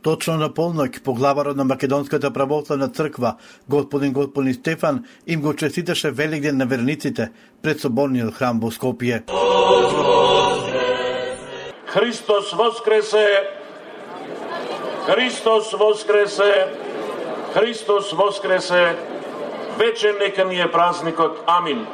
Точно на полноќ поглаварот на Македонската православна црква, господин Стефан, им го честиташе Великден на верниците пред соборниот храм во Скопје. Христос воскресе! Христос воскресе! Христос воскресе! Вечен нека ни е празникот. Амин.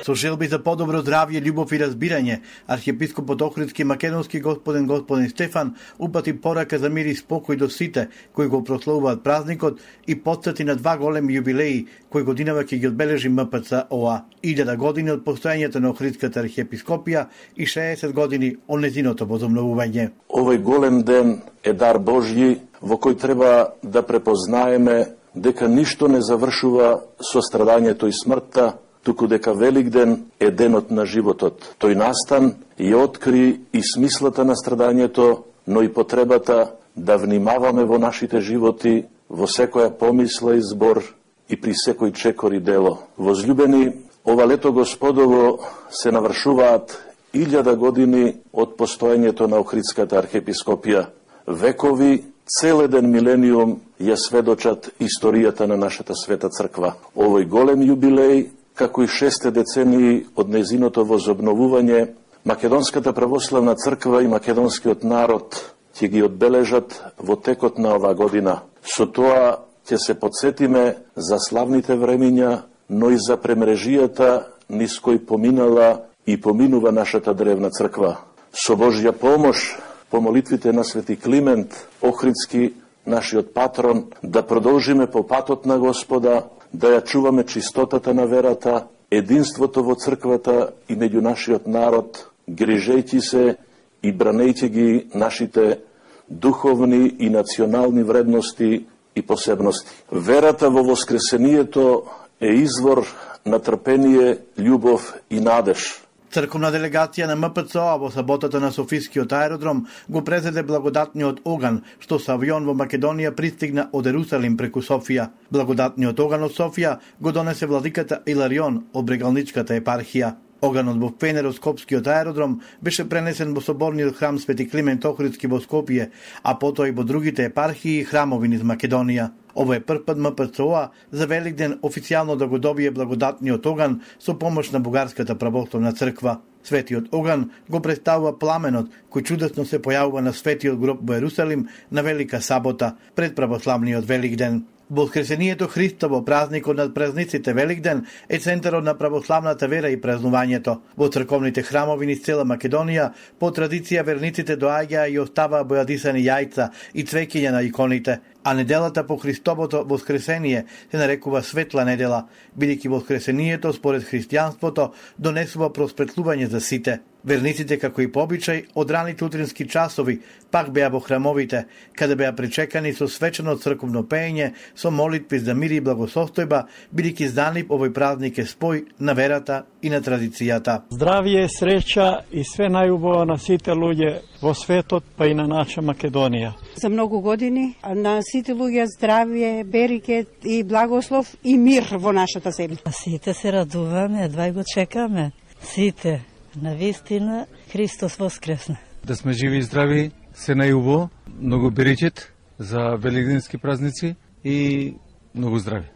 Со желби за подобро здравје, љубов и разбирање, архиепископот Охридски македонски господин Стефан упати порака за мир и спокој до сите кои го прославуваат празникот и потсети на два големи јубилеи кои годинава ќе ги одбележи МПЦ-ОА. 1000 години од постојањето на Охридската архиепископија и 60 години од незиното возобновување. Овој голем ден е дар Божји во кој треба да препознаеме дека ништо не завршува со страдањето и смртта, туку дека Великден е денот на животот. Тој настан и откри и смислата на страдањето, но и потребата да внимаваме во нашите животи, во секоја помисла и збор и при секој чекор и дело. Возлюбени, ова лето Господово се навршуваат 1000 години од постоењето на Охридската архиепископија. Векови, целеден милениум ја сведочат историјата на нашата света црква. Овој голем јубилеј, како и 6 децении од незиното возобновување, Македонската православна црква и македонскиот народ ќе ги одбележат во текот на оваа година. Со тоа ќе се подсетиме за славните времиња, но и за премрежијата низ кој поминала и поминува нашата древна црква. Со Божја помош, по молитвите на Свети Климент Охридски, нашиот патрон, да продолжиме по патот на Господа, да ја чуваме чистотата на верата, единството во црквата и меѓу нашиот народ, грижејќи се и бранејќи ги нашите духовни и национални вредности и посебности. Верата во воскресението е извор на трпение, љубов и надеж. Црковна делегација на МПЦ-ОА во саботата на Софискиот аеродром го презеде благодатниот оган, што со авион во Македонија пристигна од Ерусалим преку Софија. Благодатниот оган од Софија го донесе владиката Иларион од Брегалничката епархија. Оганот во Фенеро-Скопскиот аеродром беше пренесен во соборниот храм Свети Климент Охридски во Скопје, а потоа и во другите епархии и храмови низ Македонија. Ово е прв пат МПЦ-ОА за Великден официјално да го добие благодатниот оган со помош на Бугарската православна црква. Светиот оган го представува пламенот кој чудесно се појавува на Светиот гроб во Ерусалим на Велика сабота пред православниот Великден. Воскресението Христово, празникот над празниците Великден, е центарот на православната вера и празнувањето. Во црковните храмови низ цела Македонија, по традиција верниците доаѓаа и оставаа бојадисани јајца и цвеќиња на иконите, а неделата по Христовото воскресение се нарекува Светла недела, бидејќи воскресението според христијанството донесува просветлување за сите. Верниците, како и по обичај, од раните утрински часови пак беа во храмовите, каде беа причекани со свечено црковно пеење, со молитви за мир и благосостојба, бидејќи знанив овој празник е спој на верата и на традицијата. Здравје, среќа и све најубаво на сите луѓе во светот, па и на наша Македонија. За многу години на сите луѓе здравје, берекет и благослов и мир во нашата земја. Сите се радуваме, едва го чекаме. Сите. На вистина, Христос воскресна. Да сме живи и здрави, се најубаво, многу берекет за великденски празници и многу здрави.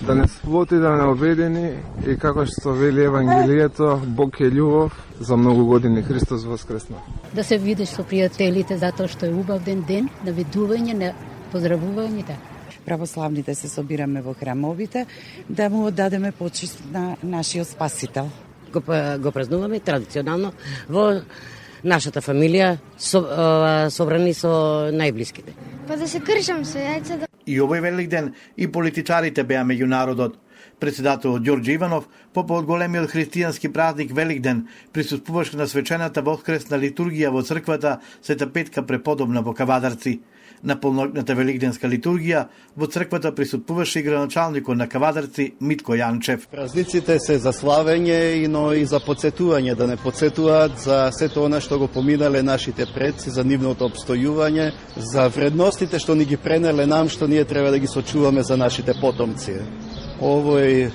Да не своти да не обедени и како што вели Евангелието, Бог е љубов, за многу години Христос воскресна. Да се видиш со пријателите затоа што е убав ден на видување, на поздравување. Православните се собираме во храмовите да му оддадеме почит на нашиот Спасител. Го празнуваме традиционално во нашата фамилија, собрани со најблиските. Па да се кршам со јајца. И овој Великден и политичарите беа меѓу народот. Председателот Ѓорѓе Иванов, попод големиот христијански празник Великден, присуствуваше на свечената воскресна литургија во црквата Света Петка преподобна во Кавадарци. На полноќната великденска литургија во црквата присуствуваше и градоначалникот на Кавадарци Митко Јанчев. Празниците се за славење, но и за подсетување, да не подсетуваат за сето она што го поминале нашите предци, за нивното обстојување, за вредностите што ни ги пренеле нам, што ние треба да ги сочуваме за нашите потомци. Овој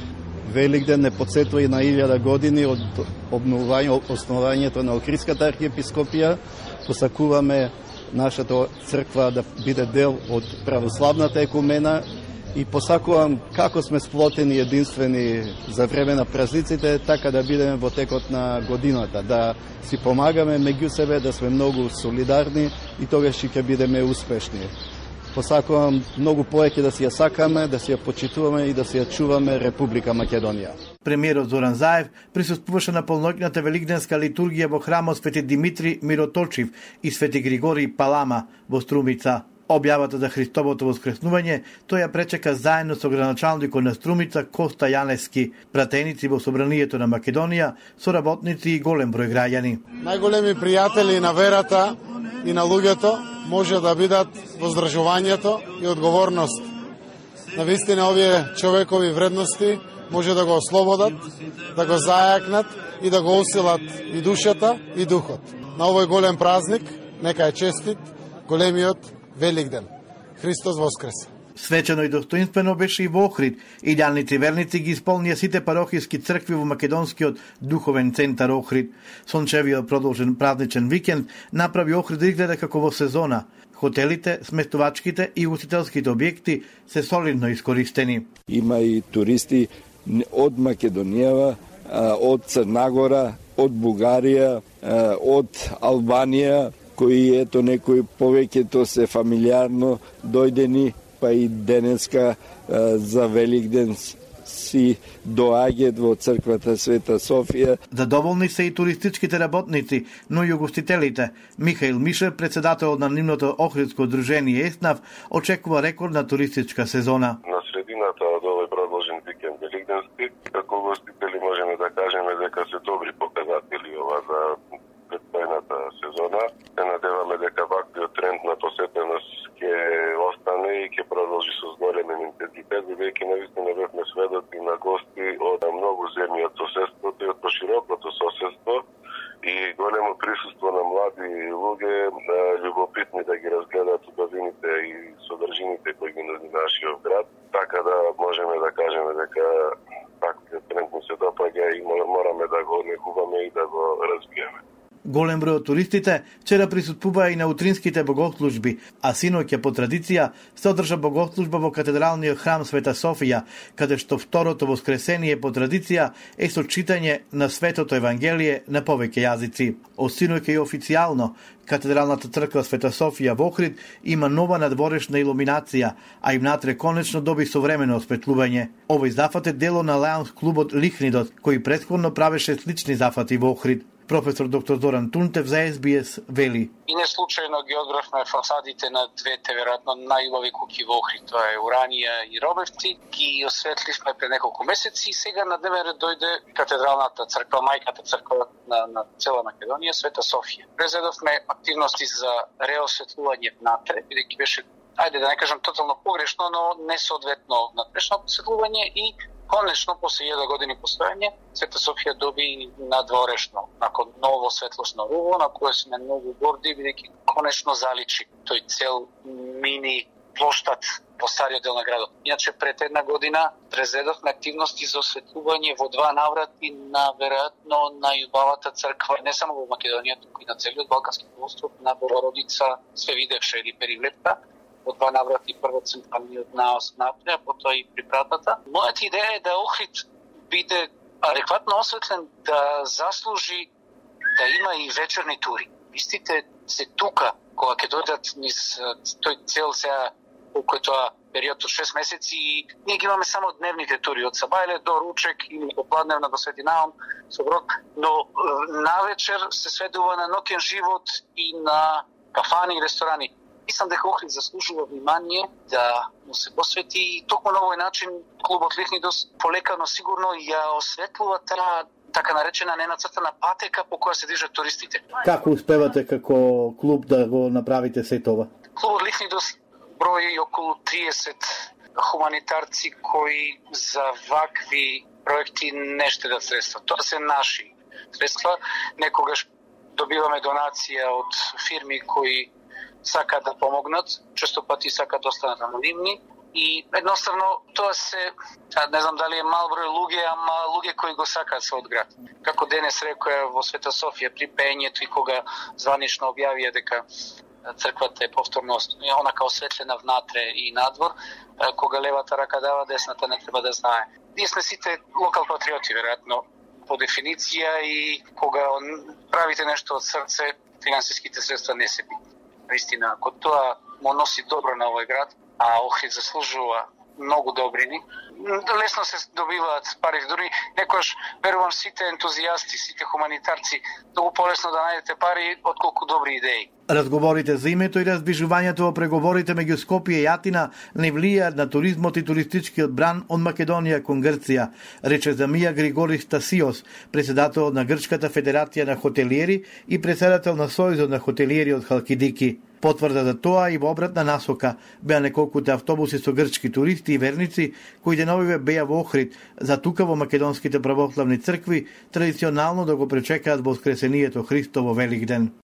Великден не подсетува и на 1000 години од основањето на Охридската архиепископија, посакуваме нашата црква да биде дел од православната екумена и посакувам како сме сплотени единствени за време на празниците, така да бидеме во текот на годината, да си помагаме меѓу себе, да сме многу солидарни и тогаш ќе бидеме успешни. Посакувам многу повеќе да си ја сакаме, да си ја почитуваме и да си ја чуваме Република Македонија. Премиерот Зоран Заев присуствуваше на полноќната великденска литургија во храмот Свети Димитри Мироточив и Свети Григорий Палама во Струмица. Објавата за Христовото воскреснување тој ја пречека заедно со граначалникот на Струмица Коста Јаневски, пратеници во Собранието на Македонија, соработници и голем број граѓани. Најголеми пријатели на верата и на луѓето може да бидат воздржувањето и одговорност. Навистина овие човекови вредности може да го ослободат, да го зајакнат и да го усилат и душата и духот. На овој голем празник нека е честит големиот Великден. Христос воскресе! Свечено и достоинствено беше и во Охрид. Идеалници верници ги исполнија сите парохиски цркви во македонскиот духовен центар Охрид. Сончевиот продолжен празничен викенд направи Охрид да изгледа како во сезона. Хотелите, сместувачките и устителските објекти се солидно искористени. Има и туристи од Македонија, од Црнагора, од Бугарија, од Албанија, кои ето некои повеќето се фамилиарно дојдени, па и денеска за Великден си доаѓаат во црквата Света Софија. Задоволни се и туристичките работници, но и угостителите. Михаил Мишев, председател на нивното Охридско дружение ЕСНАВ, очекува рекордна туристичка сезона. На средината од овој продолжен викенд великденски, како угостители можеме да кажеме дека се добри показатели ова за предстојната сезона. Се надеваме дека ваквиот тренд на посетеност ќе остане и ќе продолжи со зголем интензитет, бидејќи навистина бевме сведоци на гости од многу земји од соседството и од поширокото соседство и големо присуство на млади луѓе, љубопитни да ги разгледаат убавините и содржините кои ги нуди нашиот град, така да можеме да кажеме дека ваквиот тренд ни се допаѓа и мораме да го негуваме и да го развиеме. Голем број од туристите вчера присуствуваа и на утринските богослужби, а синоќа по традиција се одржа богослужба во катедралниот храм Света Софија, каде што второто воскресение по традиција е со читање на Светото Евангелие на повеќе јазици. Од синоќа и официјално, катедралната црква Света Софија во Охрид има нова надворешна илуминација, а и внатре конечно доби современо осветлување. Овој зафат е дело на лајонс клубот Лихнидот, кој претходно правеше слични зафати во Охрид. Професор доктор Зоран Тунтев за СБС вели. И не случајно ги одбравме фасадите на двете веројатно најубави куќи во Охрид, тоа е Уранија и Робевци, ги осветливме пред неколку месеци и сега на дневен ред дојде катедралната црква, мајката црква на цела Македонија, Света Софија. Презедовме активности за реосветлување внатре, бидејќи беше, ајде да не кажам тотално погрешно, но несоодветно внатрешно осветлување и конечно, после 1000 години постојање, Света Софија доби надворешно, након ново светлосно руво, на кое сме многу горди, бидејќи конечно заличи тој цел мини плоштад по стариот дел на градот. Иначе пред една година презедовме активности за осветлување во 2 наврати на веројатно најубавата црква, не само во Македонија, туку и на целиот Балкански полуостров, на Богородица Свевидевша или Перивлепта. Во 2 наврати, прво централниот наос напред, а потоа и припратата. Мојата идеја е да Охрид биде адекватно осветлен, да заслужи да има и вечерни тури. Истите се тука, кога ќе дојдат низ тој цел сега, колку е тоа период од 6 месеци, и ние ги имаме само дневните тури, од Сабајле до Ручек или попладневна до Свети Наум, Соброд, но навечер се сведува на ноќен живот и на кафани и ресторани. Мислам дека Охрид заслужува внимание да му се посвети и токму на овој начин клубот Лихнидос полекано сигурно ја осветлува таа така наречена ненацртана патека по која се движат туристите. Како успевате како клуб да го направите сето ова? Клубот Лихнидос брои околу 30 хуманитарци кои за вакви проекти не штедат средства. Тоа се наши средства. Некогаш добиваме донација од фирми кои сакаат да помогнат, често пати сакаат да останат анонимни, И едноставно тоа се, не знам дали е мал број луѓе, ама луѓе кои го сакаат својот град. Како денес рекоја во Света Софија при пеењето и кога званично објавија дека црквата е повторно онака осветлена внатре и надвор, кога левата рака дава, десната не треба да знае. Ние сме сите локал патриоти, веројатно, по дефиниција, и кога правите нешто од срце, финансиските средства не се битни. Наистина, ако тоа му носи добро на овој град, а Охрид заслужува многу добрини, лесно се добиваат пари. Дури некојаш, верувам, сите ентузијасти, сите хуманитарци, многу полесно да најдете пари отколку добри идеи. Разговорите за името и разбижувањето во преговорите меѓу Скопје и Атина не влијаат на туризмот и туристичкиот бран од Македонија кон Грција, рече Замија Григорис Стасиос, председател на Грчката федерација на хотелиери и председател на Сојузот на хотелиери од Халкидики. Потврда за тоа и во обратна насока беа неколкуте автобуси со грчки туристи и верници кои деновиве беа во Охрид, за тука во македонските православни цркви традиционално да го пречекаат воскресението Христово Великден.